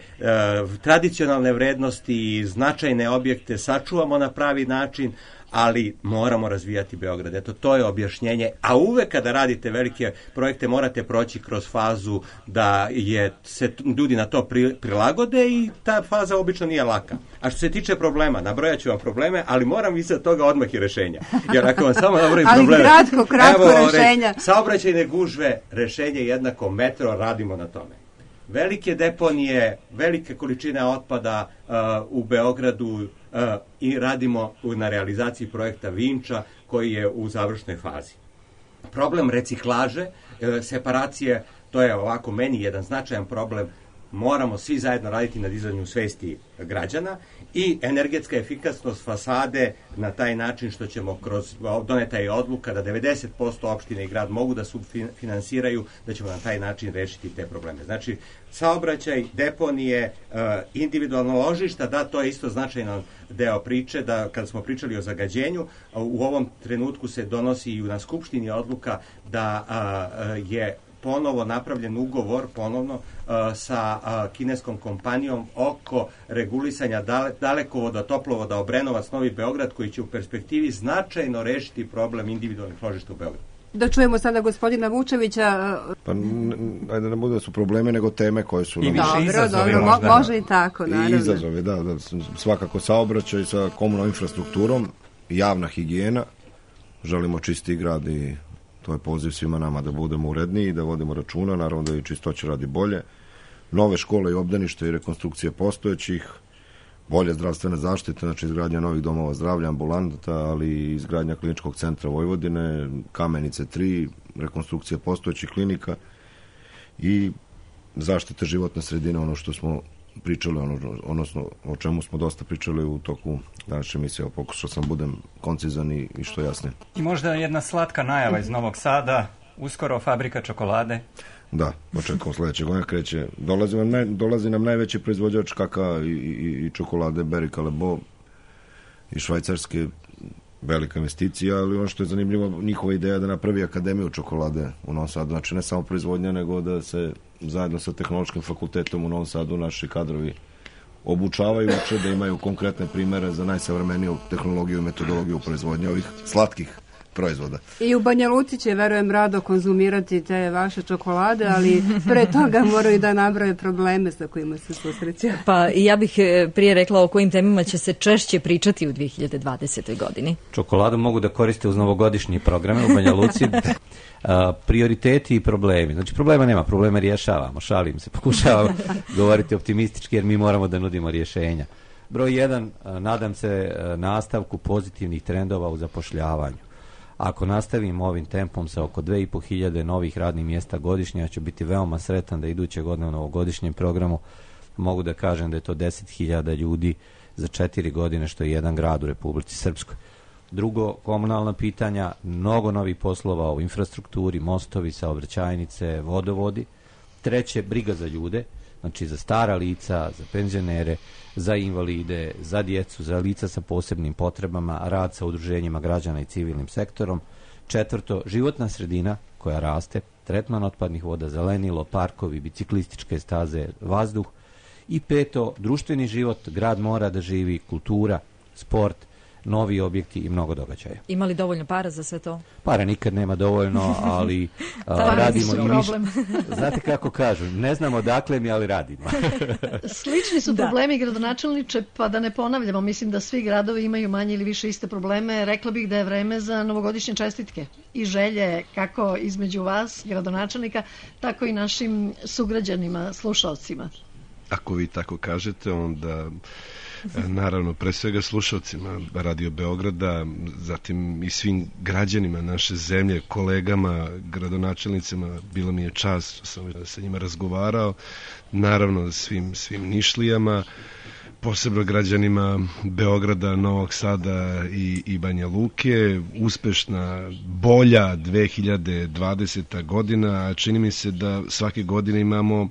tradicionalne vrednosti i značajne objekte sačuvamo na pravi način, ali moramo razvijati Beograd. Eto, to je objašnjenje. A uvek kada radite velike projekte morate proći kroz fazu da je, se ljudi na to pri, prilagode i ta faza obično nije laka. A što se tiče problema, nabrojat ću vam probleme, ali moram iza toga odmah i rešenja. Jer ako vam samo nabrojim probleme... Ali kratko, kratko evo, rešenja. Re, saobraćajne gužve, rešenje jednako metro, radimo na tome. Velike deponije, velike količine otpada uh, u Beogradu uh, i radimo na realizaciji projekta Vinča koji je u završnoj fazi. Problem reciklaže, uh, separacije, to je ovako meni jedan značajan problem. Moramo svi zajedno raditi na dizanju svesti građana i energetska efikasnost fasade na taj način što ćemo kroz, doneta je odluka da devedeset posto opštine i grad mogu da subfinansiraju, da ćemo na taj način rešiti te probleme. Znači, saobraćaj, deponije, individualno ložišta, da, to je isto značajan deo priče, da kada smo pričali o zagađenju, u ovom trenutku se donosi i na Skupštini odluka da je ponovo napravljen ugovor ponovno uh, sa uh, kineskom kompanijom oko regulisanja dale, dalekovoda, toplovoda Obrenovac, Novi Beograd, koji će u perspektivi značajno rešiti problem individualnih ložišta u Beogradu. Da čujemo sada gospodina Vučevića. Pa, ajde ne bude da su probleme, nego teme koje su... I više izazovi. Dobro, možda. Može i tako, naravno. I izazovi, da, da. Svakako saobraćaj sa komunalnom infrastrukturom, javna higijena, želimo čisti grad i to je poziv svima nama da budemo uredniji i da vodimo računa, naravno da i čistoća radi bolje. Nove škole i obdaništa i rekonstrukcije postojećih, bolje zdravstvene zaštite, znači izgradnja novih domova zdravlja, ambulanta, ali i izgradnja kliničkog centra Vojvodine, Kamenice tri, rekonstrukcija postojećih klinika i zaštite životne sredine, ono što smo pričali, ono, odnosno o čemu smo dosta pričali u toku današnje emisije, pokušao sam budem koncizan i, i što jasnije. I možda jedna slatka najava iz Novog Sada, uskoro fabrika čokolade. Da, očekujemo sledeće godine kreće. Dolazi nam, naj, dolazi nam najveći proizvođač kaka i, i, i čokolade Berry Callebaut i švajcarske, velika investicija, ali ono što je zanimljivo, njihova ideja da napravi akademiju čokolade u Novom Sadu, znači ne samo proizvodnja, nego da se zajedno sa tehnološkim fakultetom u Novom Sadu naši kadrovi obučavaju, uče da imaju konkretne primere za najsavremeniju tehnologiju i metodologiju proizvodnje ovih slatkih proizvoda. I u Banja Luci će, verujem, rado konzumirati te vaše čokolade, ali pre toga moraju da nabroje probleme sa kojima se susreću. Pa ja bih prije rekla o kojim temama će se češće pričati u dve hiljade dvadesetoj godini. Čokoladu mogu da koriste uz novogodišnje programe u Banja Luci. A, prioriteti i problemi. Znači problema nema, probleme rješavamo, šalim se, pokušavamo govoriti optimistički jer mi moramo da nudimo rješenja. Broj jedan, nadam se nastavku pozitivnih trendova u zapošljavanju. Ako nastavimo ovim tempom sa oko dve i po hiljade novih radnih mjesta godišnje, ja ću biti veoma sretan da iduće godine u novogodišnjem programu mogu da kažem da je to deset hiljada ljudi za četiri godine, što je jedan grad u Republici Srpskoj. Drugo, komunalna pitanja, mnogo novih poslova u infrastrukturi, mostovi, saobraćajnice, vodovodi. Treće, briga za ljude, znači za stara lica, za penzionere, za invalide, za djecu, za lica sa posebnim potrebama, rad sa udruženjima građana i civilnim sektorom. Četvrto, životna sredina koja raste, tretman otpadnih voda, zelenilo, parkovi, biciklističke staze, vazduh. I peto, društveni život, grad mora da živi, kultura, sport, novi objekti i mnogo događaja. Ima li dovoljno para za sve to? Para nikad nema dovoljno, ali a, radimo i ništa. Znate kako kažu, ne znamo dakle mi, ali radimo. Slični su problemi, da. Gradonačelniče, pa da ne ponavljamo, mislim da svi gradovi imaju manje ili više iste probleme. Rekla bih da je vreme za novogodišnje čestitke i želje kako između vas, gradonačelnika, tako i našim sugrađanima, slušalcima. Ako vi tako kažete, onda naravno pre svega slušalcima Radio Beograda, zatim i svim građanima naše zemlje, kolegama, gradonačelnicima, bilo mi je čast što sam sa njima razgovarao, naravno svim, svim Nišlijama, posebno građanima Beograda, Novog Sada i, i Banja Luke. Uspešna, bolja dve hiljade dvadeseta godina, a čini mi se da svake godine imamo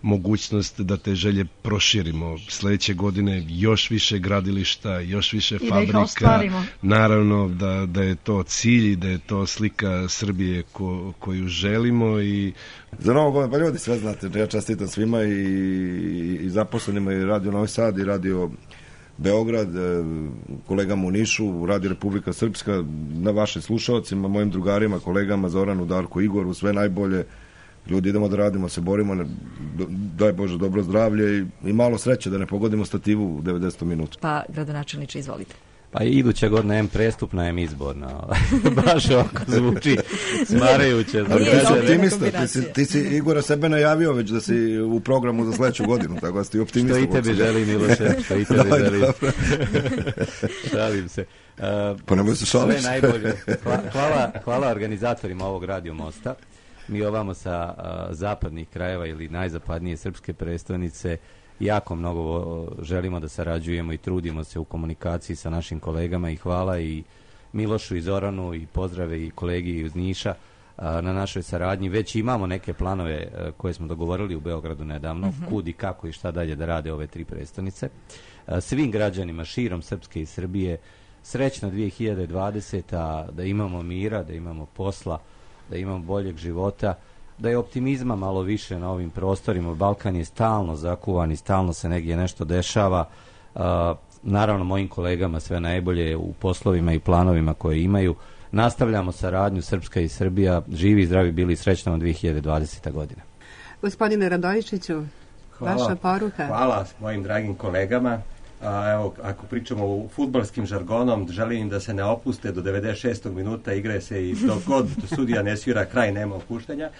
mogućnost da te želje proširimo. Sledeće godine još više gradilišta, još više I fabrika. Naravno da, da je to cilj i da je to slika Srbije ko, koju želimo. I za Novu godinu, pa ljudi sve znate, ja čestitam svima i, i zaposlenima i Radio Novi Sad i Radio Beograd, kolegama u Nišu, Radio Republika Srpska, na vašim slušalcima, mojim drugarima, kolegama Zoranu, Darku, Igoru, sve najbolje. Ljudi, idemo da radimo, se borimo, daj Bože dobro zdravlje i, i malo sreće da ne pogodimo stativu u devedeset minuta. Pa, gradonačelniče, izvolite. Pa iduća godina je prestupna, je izborna. Baš ovako zvuči smarajuće. Optimista, ti si, ti si Igora sebe najavio već da si u programu za sledeću godinu, tako da si optimista. Što i tebi želi, Miloše, što i tebi želi. Šalim se. Uh, pa nemoj se šališ. Sve najbolje. Hvala, hvala organizatorima ovog Radio Mosta. Mi ovamo sa uh, zapadnih krajeva ili najzapadnije srpske prestonice jako mnogo želimo da sarađujemo i trudimo se u komunikaciji sa našim kolegama i hvala i Milošu i Zoranu i pozdrave i kolegi iz Niša a, na našoj saradnji. Već imamo neke planove a, koje smo dogovorili u Beogradu nedavno, uh-huh. kud i kako i šta dalje da rade ove tri prestonice. A, svim građanima širom Srpske i Srbije srećna dve hiljade dvadeseta, da imamo mira, da imamo posla, da imamo boljeg života, da je optimizma malo više na ovim prostorima. Balkan je stalno zakuvan i stalno se negdje nešto dešava. Uh, naravno, mojim kolegama sve najbolje u poslovima i planovima koje imaju. Nastavljamo saradnju Srpska i Srbija. Živi i zdravi bili, srećna vam dve hiljade dvadeseta godina. Gospodine Radojičiću, hvala, vaša poruka. Hvala mojim dragim kolegama. A, evo, ako pričamo u fudbalskim žargonom, želim da se ne opuste do devedeset šestog minuta, igre se i dok god sudija ne svira kraj, nema opuštanja.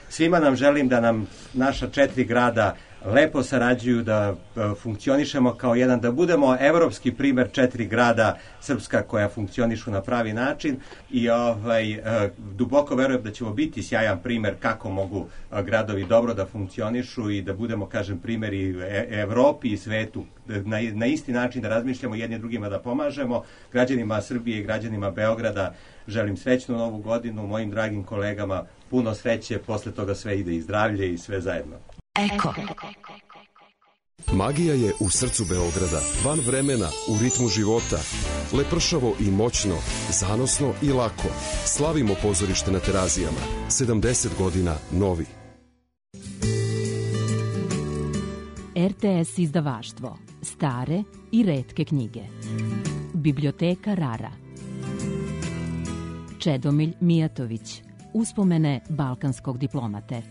Svima nam želim da nam naša četiri grada lepo sarađuju, da funkcionišemo kao jedan, da budemo evropski primer četiri grada srpska koja funkcionišu na pravi način i ovaj, duboko verujem da ćemo biti sjajan primer kako mogu gradovi dobro da funkcionišu i da budemo, kažem, primjeri Evropi i svetu, na, na isti način da razmišljamo jedni drugima, da pomažemo građanima Srbije i građanima Beograda. Želim srećnu novu godinu, mojim dragim kolegama puno sreće, posle toga sve ide i zdravlje i sve zajedno. Eko. Magija je u srcu Beograda, van vremena, u ritmu života. Lepršavo i moćno, zanosno i lako. Slavimo pozorište na Terazijama. sedamdeset godina novi. R T S izdavaštvo. Stare i retke knjige. Biblioteka Rara. Čedomilj Mijatović. Uspomene balkanskog diplomate.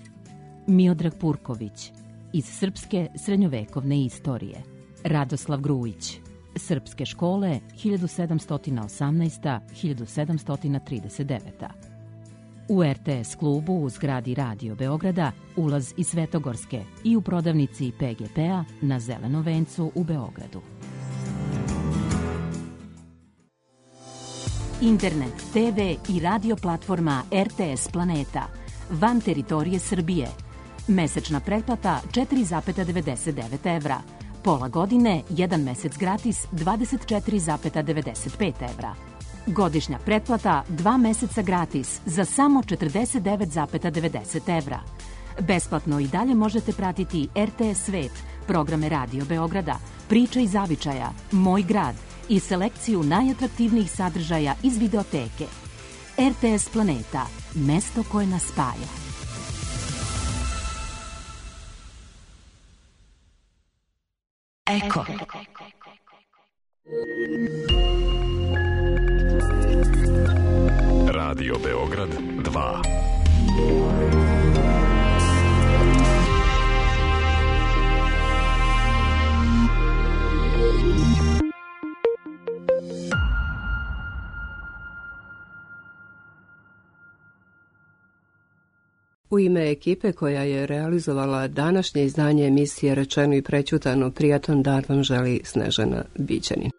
Miodrag Purković. Iz srpske srednjovekovne istorije. Radoslav Grujić. Srpske škole hiljadu sedamsto osamnaesta do hiljadu sedamsto trideset deveta. U R T S klubu u zgradi Radio Beograda ulaz iz Svetogorske i u prodavnici P G P-a na Zelenom vencu u Beogradu. Internet, T V i radio platforma R T S Planeta van teritorije Srbije. Mesečna pretplata četiri zarez devedeset devet evra. Pola godine, jedan mesec gratis dvadeset četiri zarez devedeset pet evra. Godišnja pretplata dva meseca gratis za samo četrdeset devet zarez devedeset evra. Besplatno i dalje možete pratiti R T S Svet, programe Radio Beograda, Priča i zavičaja, Moj grad i selekciju najatraktivnijih sadržaja iz videoteke. R T S Planeta, mesto koje nas spaja. Eko. Radio Beograd dva. U ime ekipe koja je realizovala današnje izdanje emisije Rečeno i prećutano, prijatan dan vam želi Snežana Bićanin.